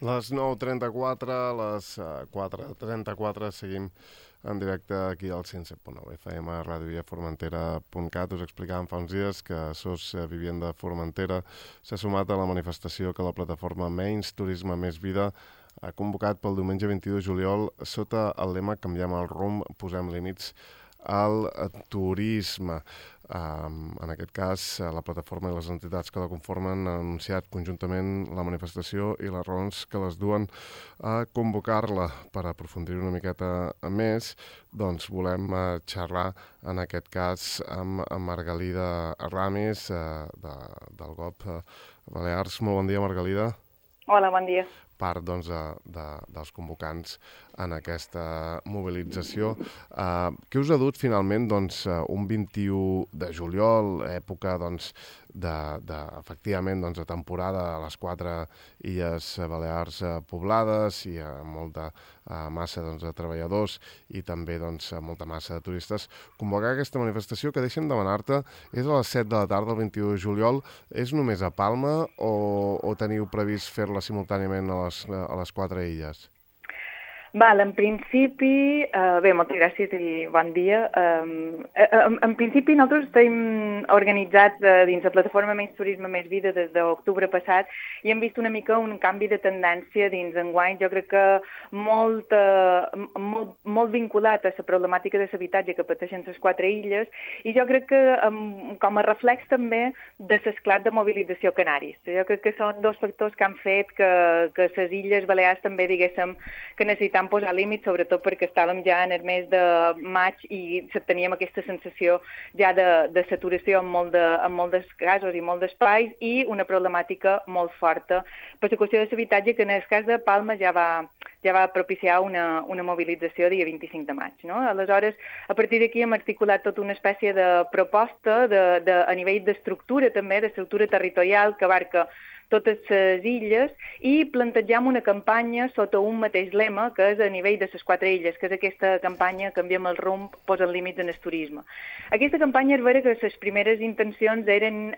Les 9:34, les 4:34, seguim en directe aquí al 107.9 FM, radioiaformentera.cat. Us explicàvem fa uns dies que SOS Vivienda Formentera s'ha sumat a la manifestació que la plataforma Menys Turisme Més Vida ha convocat pel diumenge 22 de juliol sota el lema Canviem el rumb, posem límits al turisme. En aquest cas, la plataforma i les entitats que la conformen han anunciat conjuntament la manifestació i les raons que les duen a convocar-la. Per aprofundir una miqueta més, doncs volem xerrar en aquest cas amb Margalida Ramis del GOB Balears. Molt bon dia, Margalida. Hola, bon dia. Part doncs, dels convocants en aquesta mobilització. Què us ha dut finalment doncs, un 21 de juliol, època doncs, efectivament doncs, de temporada a les 4 illes Balears poblades i molta massa doncs, de treballadors i també doncs, molta massa de turistes, convocar aquesta manifestació que deixem demanar-te és a les 7 de la tarda el 21 de juliol. És només a Palma o teniu previst fer-la simultàniament a les 4 illes? Val, en principi, bé, moltes gràcies i bon dia. En principi nosaltres estem organitzats dins la plataforma Menys Turisme Més Vida des d'octubre passat i hem vist una mica un canvi de tendència dins enguany. Jo crec que molt vinculat a la problemàtica de l'habitatge que pateixen les 4 illes i jo crec que com a reflex també de l'esclat de mobilització canaris. Jo crec que són dos factors que han fet que les illes Balears també diguéssim que necessitem posar límits, sobretot perquè estàvem ja en el mes de maig i teníem aquesta sensació ja de saturació en molts casos i molts espais i una problemàtica molt forta per la qüestió de l'habitatge que en el cas de Palma ja va propiciar una mobilització dia 25 de maig. No? Aleshores, a partir d'aquí hem articulat tota una espècie de proposta a nivell d'estructura també, d'estructura territorial que abarca totes les illes i plantegem una campanya sota un mateix lema que és a nivell de les 4 illes, que és aquesta campanya Canviem el rumb, posem límits en el turisme. Aquesta campanya és vera que les primeres intencions eren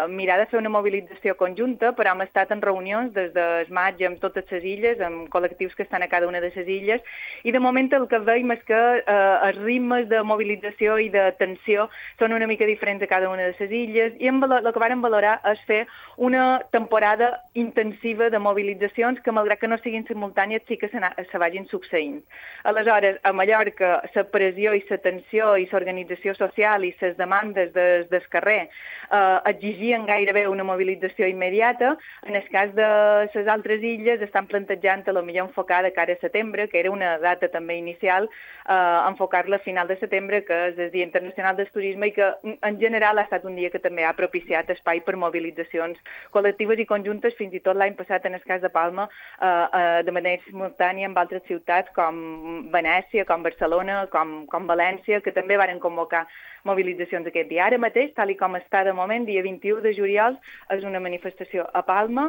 mirar de fer una mobilització conjunta, però hem estat en reunions des del maig amb totes les illes, amb col·lectius que estan a cada una de les illes, i de moment el que veiem és que els ritmes de mobilització i de tensió són una mica diferents a cada una de les illes, i el que vàrem valorar és fer una temporada intensiva de mobilitzacions que, malgrat que no siguin simultànies, sí que se vagin succeint. Aleshores, a Mallorca, la pressió i la tensió i l'organització social i les demandes del carrer exigien gairebé una mobilització immediata. En el cas de les altres illes estan plantejant a lo millor enfocar de cara a setembre, que era una data també inicial, enfocar-la a final de setembre, que és el Dia Internacional del Turisme i que en general ha estat un dia que també ha propiciat espai per mobilitzacions col·lectives i conjuntes, fins i tot l'any passat en el cas de Palma, de manera simultània amb altres ciutats com Venècia, com Barcelona, com València, que també varen convocar mobilitzacions aquest dia. Ara mateix, tal com està de moment, dia 21 de juliol, és una manifestació a Palma,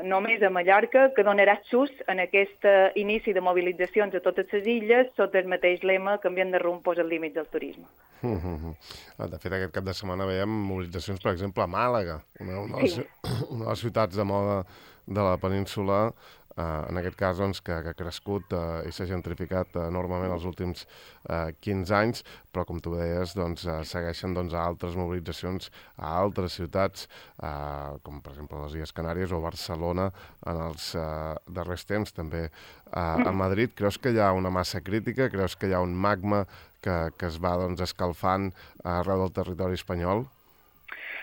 només a Mallorca, que donarà xus en aquest inici de mobilitzacions a totes les illes, sota el mateix lema Canviem de rumb, posem límits al turisme. De fet, aquest cap de setmana veiem mobilitzacions, per exemple, a Màlaga, una de les ciutats de moda de la península, en aquest cas doncs, que ha crescut i s'ha gentrificat enormement els últims 15 anys, però com tu deies, doncs, segueixen altres mobilitzacions a altres ciutats, com per exemple les Illes Canàries o Barcelona en els darrers temps, també a Madrid. Creus que hi ha una massa crítica? Creus que hi ha un magma que es va escalfant arreu del territori espanyol?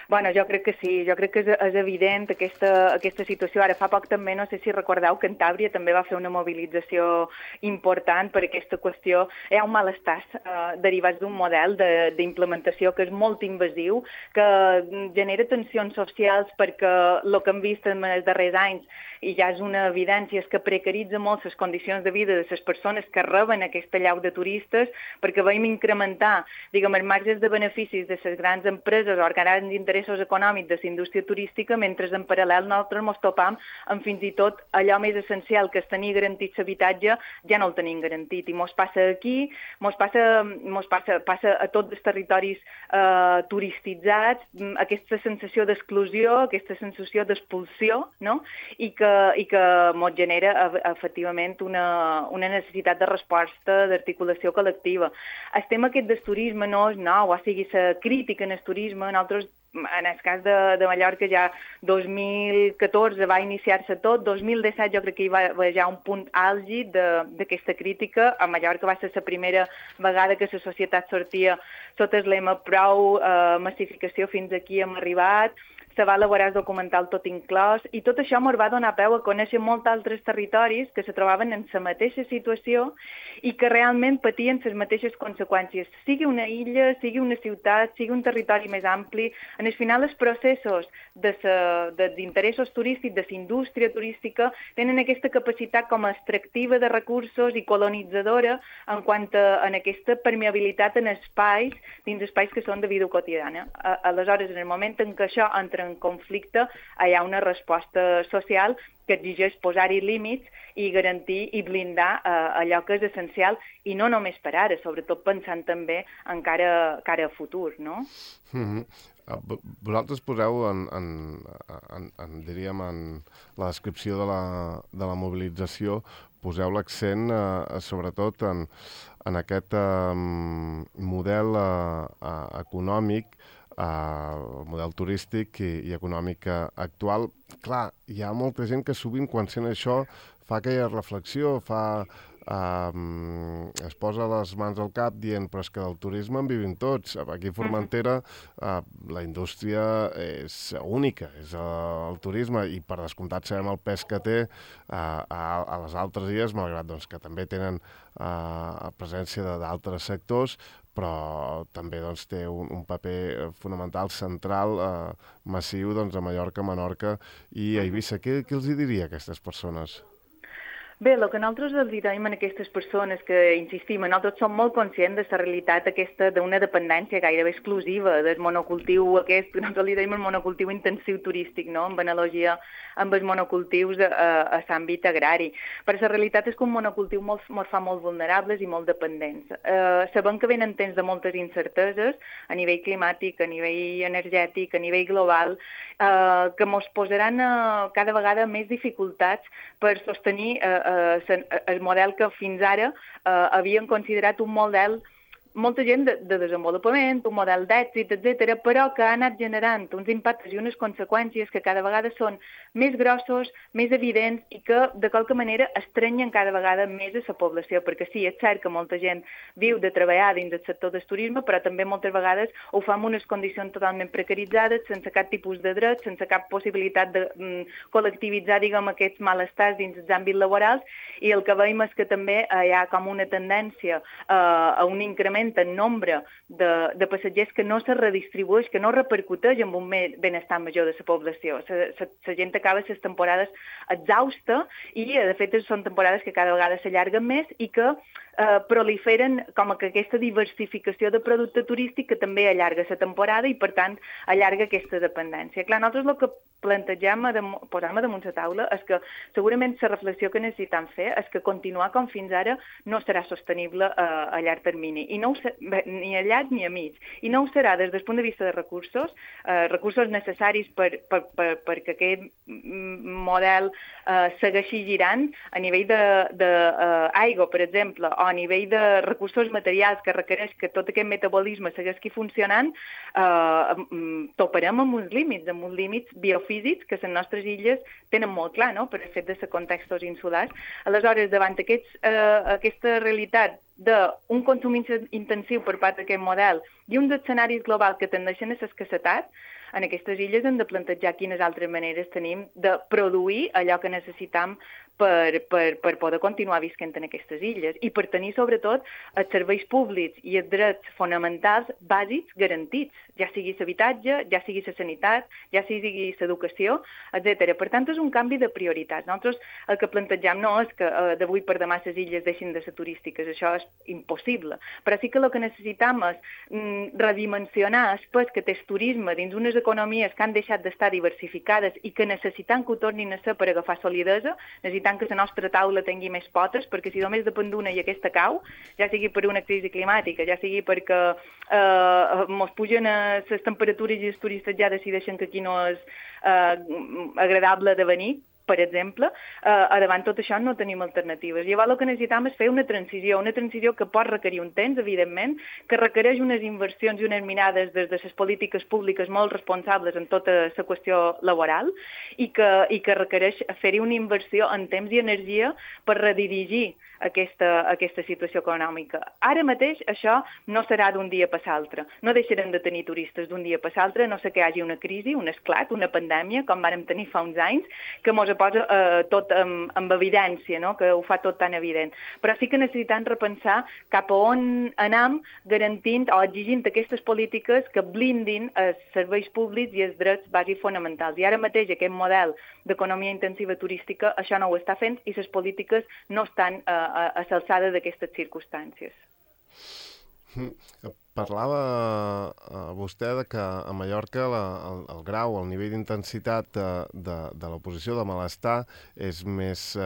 Bueno, jo crec que sí, jo crec que és evident aquesta situació. Ara fa poc també, no sé si recordeu, Cantàbria també va fer una mobilització important per aquesta qüestió. Hi ha un malestar derivats d'un model d'implementació que és molt invasiu, que genera tensions socials perquè el que hem vist en els darrers anys i ja és una evidència, és que precaritza molt les condicions de vida de les persones que reben aquesta llau de turistes, perquè veiem incrementar, diguem, els marges de beneficis de les grans empreses o grans interessos interessos econòmics de la indústria turística, mentre en paral·lel nosaltres ens topam amb fins i tot allò més essencial, que és tenir garantit l'habitatge, ja no el tenim garantit. I ens passa aquí, passa a tots els territoris turistitzats, aquesta sensació d'exclusió, aquesta sensació d'expulsió, no? I que ens genera efectivament una necessitat de resposta, d'articulació col·lectiva. El tema aquest del turisme no és nou, o sigui, la crítica en el turisme, nosaltres, en el cas de Mallorca, ja 2014 va iniciar-se tot, 2017 jo crec que hi va haver ja un punt àlgid d'aquesta crítica. A Mallorca va ser la primera vegada que la societat sortia sota el lema prou massificació, fins aquí hem arribat. Se va elaborar el documental Tot inclòs, i tot això ens va donar peu a conèixer molts altres territoris que se trobaven en la mateixa situació i que realment patien les mateixes conseqüències. Sigui una illa, sigui una ciutat, sigui un territori més ampli, en el final els processos dels interessos turístics, de la indústria turística, tenen aquesta capacitat com a extractiva de recursos i colonitzadora en quant a aquesta permeabilitat en espais, dins espais que són de vida quotidiana. Aleshores, en el moment en què això entra en conflicte, hi ha una resposta social que exigeix posar-hi límits i garantir i blindar allò que és essencial, i no només per ara, sobretot pensant també encara a futur, no? Vosaltres poseu diríem, en la descripció de la mobilització, poseu l'accent sobretot en aquest model econòmic, el model turístic i econòmic actual. Clar, hi ha molta gent que sovint, quan sent això, fa aquella reflexió, es posa les mans al cap dient però és que del turisme en vivim tots. Aquí a Formentera la indústria és única, és el turisme, i per descomptat sabem el pes que té a les altres illes, malgrat doncs, que també tenen presència d'altres sectors, però també doncs, té un paper fonamental, central, massiu doncs, a Mallorca, Menorca i a Eivissa. Què els hi diria a aquestes persones? Bé, el que nosaltres els diem a aquestes persones que, insistim, nosaltres som molt conscients de la realitat aquesta d'una dependència gairebé exclusiva del monocultiu aquest, nosaltres li dèiem el monocultiu intensiu turístic, no?, en analogia amb els monocultius a l'àmbit agrari. Però la realitat és que un monocultiu ens fa molt vulnerables i molt dependents. Sabem que venen temps de moltes incerteses a nivell climàtic, a nivell energètic, a nivell global, que ens posaran cada vegada més dificultats per sostenir el model que fins ara havien considerat un model, molta gent de desenvolupament, un model d'èxit, etc., però que ha anat generant uns impactes i unes conseqüències que cada vegada són més grossos, més evidents i que, de qualque manera, estrenyen cada vegada més a la població, perquè sí, és cert que molta gent viu de treballar dins del sector del turisme, però també moltes vegades ho fa en unes condicions totalment precaritzades, sense cap tipus de dret, sense cap possibilitat de col·lectivitzar, diguem, aquests malestars dins els àmbits laborals, i el que veiem és que també hi ha com una tendència a un increment en nombre de passatgers que no se redistribueix, que no repercuteix en un benestar major de la població. La gent acaba les temporades exhausta i, de fet, són temporades que cada vegada s'allarguen més i que proliferen com que aquesta diversificació de producte turístic que també allarga la temporada i, per tant, allarga aquesta dependència. Clar, nosaltres el que plantegem, posem damunt la taula, és que segurament la reflexió que necessitem fer és que continuar com fins ara no serà sostenible a llarg termini, i no ni a llarg ni a mig. I no ho serà des del punt de vista de recursos necessaris perquè aquest model segueixi girant a nivell d'aigua, per exemple, o a nivell de recursos materials que requereix que tot aquest metabolisme segueixi funcionant, toparem amb uns límits biofísics que les nostres illes tenen molt clar, no?, per el fet de ser contextos insulars. Aleshores, davant aquesta realitat d'un consum intensiu per part d'aquest model i uns escenaris globals que tendeixen a l'escassetat, en aquestes illes hem de plantejar quines altres maneres tenim de produir allò que necessitam per poder continuar visquent en aquestes illes i per tenir, sobretot, els serveis públics i els drets fonamentals bàsics garantits, ja sigui l'habitatge, ja sigui la sanitat, ja sigui l'educació, etc. Per tant, és un canvi de prioritats. Nosaltres el que plantegem no és que d'avui per demà les illes deixin de ser turístiques, això és impossible, però sí que el que necessitem és redimensionar el pes que té el turisme dins unes economies que han deixat d'estar diversificades i que necessitem que ho tornin a ser per agafar solidesa, necessitem que la nostra taula tingui més potes, perquè si només depèn d'una i aquesta cau, ja sigui per una crisi climàtica, ja sigui perquè mos pugen les temperatures i els turistes ja decideixen que aquí no és agradable de venir, per exemple, davant tot això no tenim alternatives. Llavors el que necessitem és fer una transició que pot requerir un temps, evidentment, que requereix unes inversions i unes mirades des de les polítiques públiques molt responsables en tota la qüestió laboral i que requereix fer-hi una inversió en temps i energia per redirigir aquesta situació econòmica. Ara mateix això no serà d'un dia per l'altre. No deixarem de tenir turistes d'un dia per l'altre, no sé que hi hagi una crisi, un esclat, una pandèmia, com vàrem tenir fa uns anys, que mos posa tot amb evidència, no? Que ho fa tot tan evident. Però sí que necessitem repensar cap a on anem garantint o exigint aquestes polítiques que blindin els serveis públics i els drets bàsics fonamentals. I ara mateix aquest model d'economia intensiva turística això no ho està fent i les polítiques no estan a l'alçada d'aquestes circumstàncies. Parlava vostè de que a Mallorca el grau, el nivell d'intensitat de l'oposició de malestar és més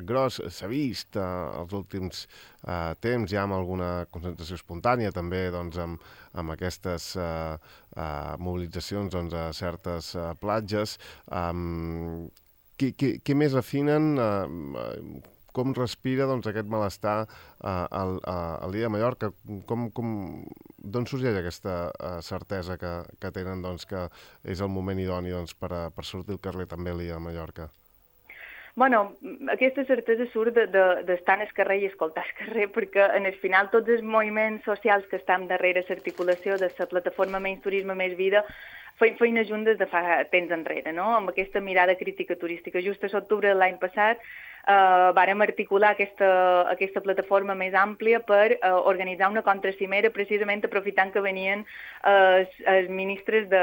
gros. S'ha vist els últims temps ja amb alguna concentració espontània, també doncs, amb aquestes mobilitzacions doncs, a certes platges. Què més afinen? Com respira doncs, aquest malestar al dia de Mallorca? D'on sorgeix aquesta certesa que tenen doncs, que és el moment idoni doncs, per sortir al carrer també al dia de Mallorca? Bueno, aquesta certesa surt d'estar al carrer i escoltar al carrer, perquè en el final tots els moviments socials que estan darrere l'articulació de la plataforma Menys Turisme, Més Vida feim feina juntes de fa temps enrere, no? Amb aquesta mirada crítica turística. Just a l'octubre de l'any passat vàrem articular aquesta plataforma més àmplia per organitzar una contracimera, precisament aprofitant que venien els ministres de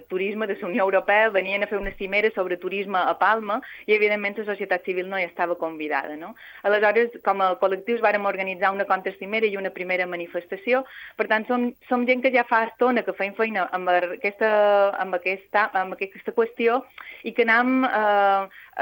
turisme de la Unió Europea, venien a fer una cimera sobre turisme a Palma i, evidentment, la societat civil no hi estava convidada, no? Aleshores, com a col·lectius, vàrem organitzar una contracimera i una primera manifestació. Per tant, som gent que ja fa estona que feim feina amb aquesta qüestió i que anem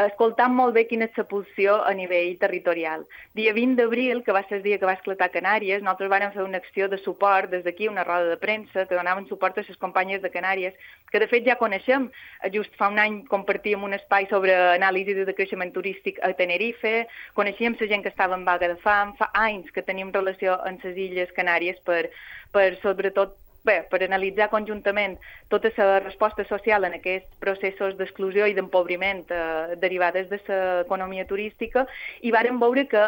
escoltant molt bé quina és la pulsió a nivell territorial. Dia 20 d'abril, que va ser el dia que va esclatar a Canàries, nosaltres vàrem fer una acció de suport des d'aquí, una roda de premsa, que donaven suport a les companyes de Canàries, que de fet ja coneixem. Just fa un any compartíem un espai sobre anàlisi de creixement turístic a Tenerife, coneixíem la gent que estava en vaga de fam, fa anys que tenim relació amb les Illes Canàries per sobretot per analitzar conjuntament tota la resposta social en aquests processos d'exclusió i d'empobriment derivades de l'economia turística, i vàrem veure que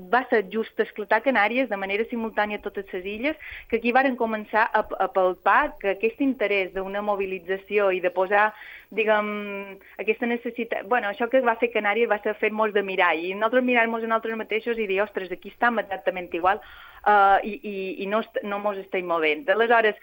va ser just esclatar Canàries de manera simultània a totes les illes, que aquí vàrem començar a palpar que aquest interès d'una mobilització i de posar, diguem, aquesta necessitat... Bueno, això que va fer Canàries va ser fer-nos de mirall, i nosaltres mirar-nos a nosaltres mateixos i dir, ostres, aquí estem exactament igual, i no mos estem movent. Aleshores,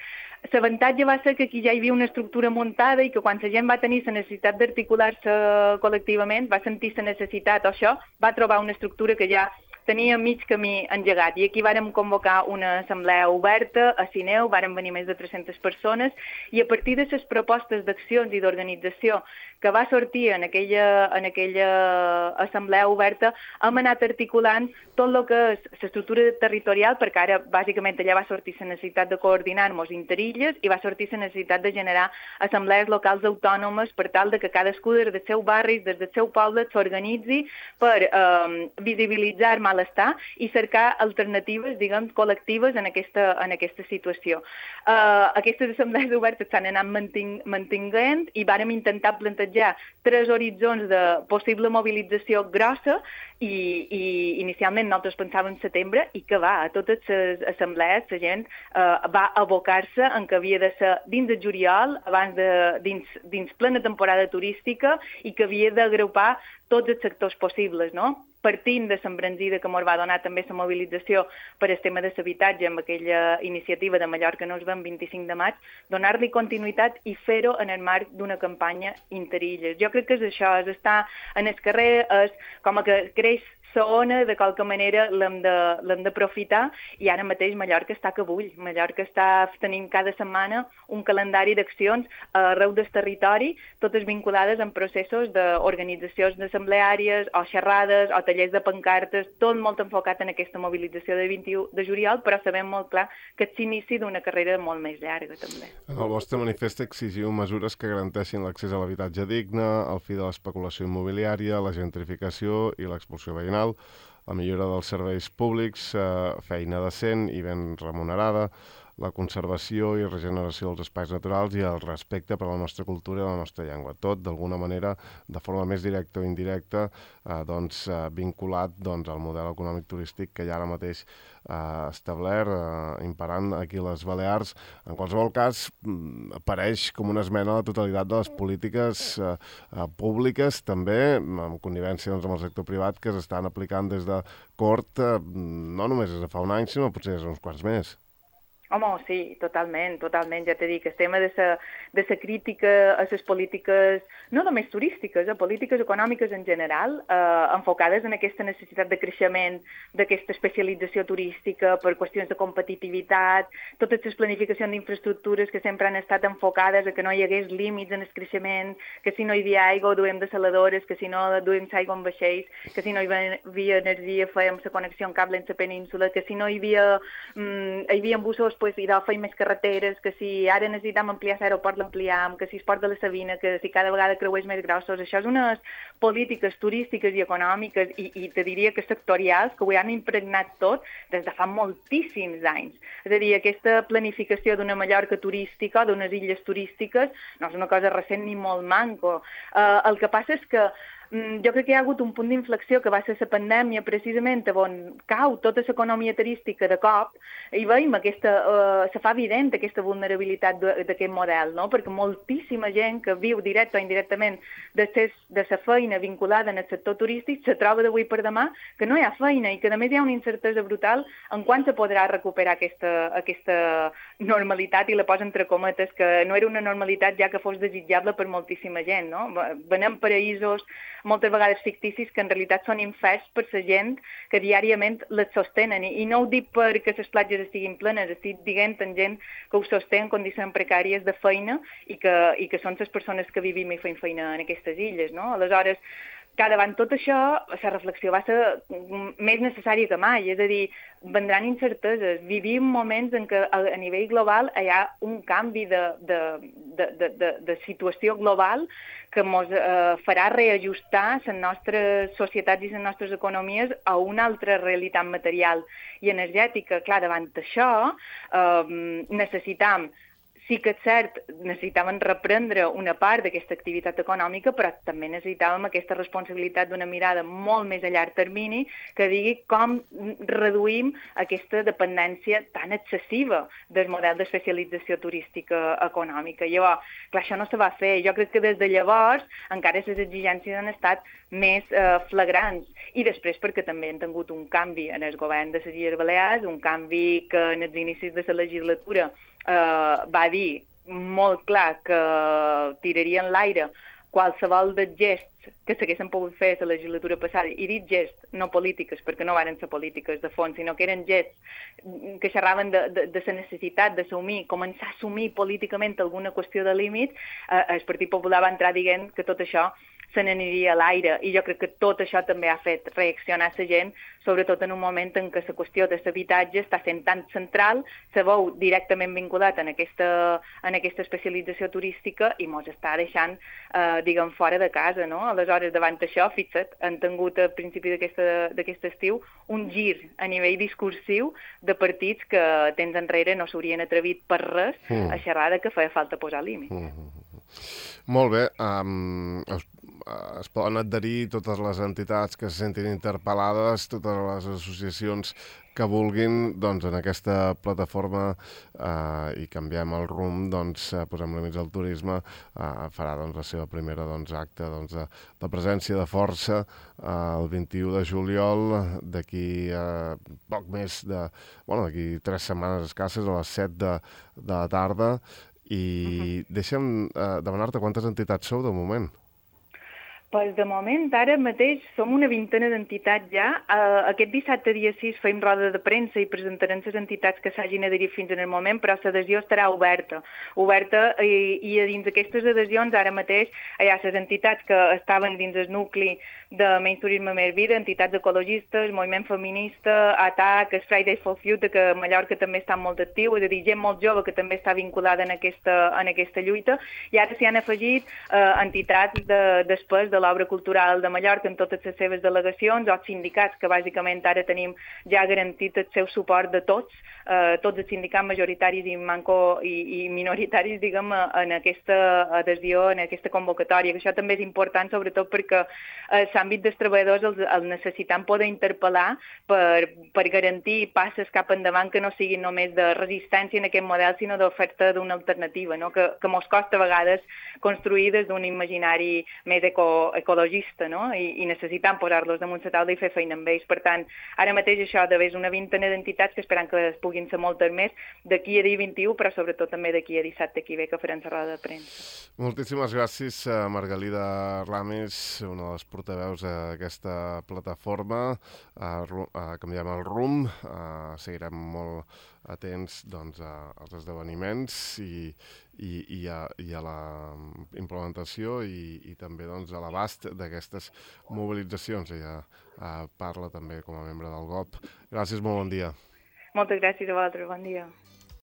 l'avantatge va ser que aquí ja hi havia una estructura muntada i que quan la gent va tenir la necessitat d'articular-se col·lectivament, va sentir la necessitat o això, va trobar una estructura que ja tenia mig camí engegat. I aquí vàrem convocar una assemblea oberta a Sineu, vàrem venir més de 300 persones, i a partir de les propostes d'accions i d'organització que va sortir en aquella assemblea oberta, hem anat articulant tot el que és l'estructura territorial, perquè ara bàsicament allà va sortir la necessitat de coordinar-nos interilles i va sortir la necessitat de generar assemblees locals autònomes per tal de que cadascú des del seu barri, des del seu poble, s'organitzi per visibilitzar malestar i cercar alternatives, diguem, col·lectives en aquesta situació. Aquestes assemblees obertes s'han anat mantinguent i vàrem intentar plantejar 3 horitzons de possible mobilització grossa i inicialment nosaltres pensàvem en setembre i que a totes les assemblees la gent va abocar-se en que havia de ser dins de juliol, dins plena temporada turística, i que havia d'agrupar tots els sectors possibles, no? Partint de l'embranzida que ens va donar també la mobilització per el tema de l'habitatge amb aquella iniciativa de Mallorca no es va el 25 de maig, donar-li continuïtat i fer-ho en el marc d'una campanya interilles. Jo crec que és això, és estar en el carrer, és com que creix la ona, de qualque manera l'hem d'aprofitar, i ara mateix Mallorca està que bull. Mallorca està tenint cada setmana un calendari d'accions arreu del territori, totes vinculades en processos d'organitzacions assembleàries o xerrades o tallers de pancartes, tot molt enfocat en aquesta mobilització de 21 de juliol, però sabem molt clar que és l'inici d'una carrera molt més llarga, també. En el vostre manifest exigiu mesures que garanteixin l'accés a l'habitatge digne, el fi de l'especulació immobiliària, la gentrificació i l'expulsió veïnal, la millora dels serveis públics, feina decent i ben remunerada, la conservació i regeneració dels espais naturals i el respecte per a la nostra cultura i la nostra llengua. Tot, d'alguna manera, de forma més directa o indirecta, vinculat al model econòmic turístic que hi ha ara mateix establert, imperant aquí a les Balears. En qualsevol cas, apareix com una esmena a la totalitat de les polítiques públiques, també, en connivència amb el sector privat, que s'estan aplicant des de Cort, no només des de fa un any, sinó potser des d'uns quants més. Home, sí, totalment, ja t'he dit que el tema de la crítica a les polítiques, no només turístiques, polítiques econòmiques en general, enfocades en aquesta necessitat de creixement, d'aquesta especialització turística per qüestions de competitivitat, totes les planificacions d'infraestructures que sempre han estat enfocades a que no hi hagués límits en el creixement, que si no hi havia aigua ho duem de saladores, que si no duem aigua en vaixells, que si no hi havia energia fèiem la connexió en cable en la península, que si no hi havia bussos i fèiem més carreteres, que si ara necessitam ampliar l'aeroport l'ampliem, que si es Port de la Sabina, que si cada vegada creuers més grossos. Això és unes polítiques turístiques i econòmiques i te diria que sectorials que ho han impregnat tot des de fa moltíssims anys. És a dir, aquesta planificació d'una Mallorca turística, d'unes illes turístiques, no és una cosa recent ni molt manco. El que passa és que jo crec que hi ha hagut un punt d'inflexió que va ser la pandèmia, precisament on cau tota l'economia turística de cop, i veiem se fa evident aquesta vulnerabilitat d'aquest model, no? Perquè moltíssima gent que viu directe o indirectament de la feina vinculada en el sector turístic se troba d'avui per demà que no hi ha feina i que a més hi ha una incertesa brutal en quan se podrà recuperar aquesta normalitat, i la posa entre cometes, que no era una normalitat ja que fos desitjable per moltíssima gent, no? Venem paraïsos moltes vegades ficticis que en realitat són infers per la gent que diàriament les sostenen. I no ho dic perquè les platges estiguin plenes, estic dient en gent que ho sostén en condicions precàries de feina i que són les persones que vivim i fem feina en aquestes illes, no? Aleshores, davant tot això, la reflexió va ser més necessària que mai, és a dir, vendran incerteses. Vivim moments en què a nivell global hi ha un canvi de situació global que ens farà reajustar les nostres societats i les nostres economies a una altra realitat material i energètica. Clar, davant d'això necessitam, sí que és cert, necessitàvem reprendre una part d'aquesta activitat econòmica, però també necessitàvem aquesta responsabilitat d'una mirada molt més a llarg termini que digui com reduïm aquesta dependència tan excessiva del model d'especialització turística econòmica. Llavors, clar, això no se va fer. Jo crec que des de llavors encara les exigències han estat més flagrants. I després perquè també han tingut un canvi en el govern de les Illes Balears, un canvi que en els inicis de la legislatura va dir molt clar que tiraria en l'aire qualsevol dels gests que s'haguessin pogut fer a la legislatura passada, i dit gests, no polítiques, perquè no van ser polítiques de fons, sinó que eren gests que xerraven de la necessitat d'assumir, començar a assumir políticament alguna qüestió de límit. El Partit Popular va entrar dient que tot això se n'aniria a l'aire, i jo crec que tot això també ha fet reaccionar la gent, sobretot en un moment en què la qüestió de l'habitatge està sent tan central, se veu directament vinculat en aquesta especialització turística i mos està deixant, diguem, fora de casa, no? Aleshores, davant d'això, fixa't, han tingut a principi d'aquest estiu un gir a nivell discursiu de partits que temps enrere no s'haurien atrevit per res a xerrar que feia falta posar límit. Molt bé. es poden adherir totes les entitats que se sentin interpel·lades, totes les associacions que vulguin, doncs en aquesta plataforma i canviem el rumb, doncs posem límits al turisme, farà doncs la seva primera acte de presència de força el 21 de juliol, d'aquí poc més d'aquí 3 setmanes escasses, a les 7 de la tarda, i deixa'm demanar-te quantes entitats sou de moment. Pues de moment, ara mateix, som una vintena d'entitats ja. Aquest dissabte, dia 6, fem roda de premsa i presentarem les entitats que s'hagin adherit fins en el moment, però l'adhesió estarà oberta i a dins d'aquestes adhesions ara mateix hi ha les entitats que estaven dins el nucli de Menys Turisme Més Vida, entitats ecologistes, moviment feminista, ATAC, Fridays for Future, que a Mallorca també està molt actiu, és a dir, gent molt jove que també està vinculada en aquesta lluita, i ara s'hi han afegit entitats després de l'obra cultural de Mallorca en totes les seves delegacions, o sindicats, que bàsicament ara tenim ja garantit el seu suport de tots els sindicats majoritaris i minoritaris, diguem, en aquesta adhesió, en aquesta convocatòria, que això també és important, sobretot perquè l'àmbit dels treballadors els necessitem poder interpel·lar per garantir passes cap endavant que no siguin només de resistència en aquest model, sinó d'oferta d'una alternativa, no? que mos costa a vegades construir des d'un imaginari més ecologista, no? I necessitem posar-los damunt la taula i fer feina amb ells. Per tant, ara mateix això és una vintena d'entitats que esperem que puguin ser moltes més d'aquí a dia 21, però sobretot també d'aquí a dissabte que ve que farem la roda de premsa. Moltíssimes gràcies, Margalida Ramis, una de les portaveus d'aquesta plataforma. Canviem el rumb, seguirem molt atents als esdeveniments i a la implementació i també a l'abast d'aquestes mobilitzacions. Ella parla també com a membre del GOP. Gràcies, molt bon dia. Moltes gràcies a vosaltres, bon dia.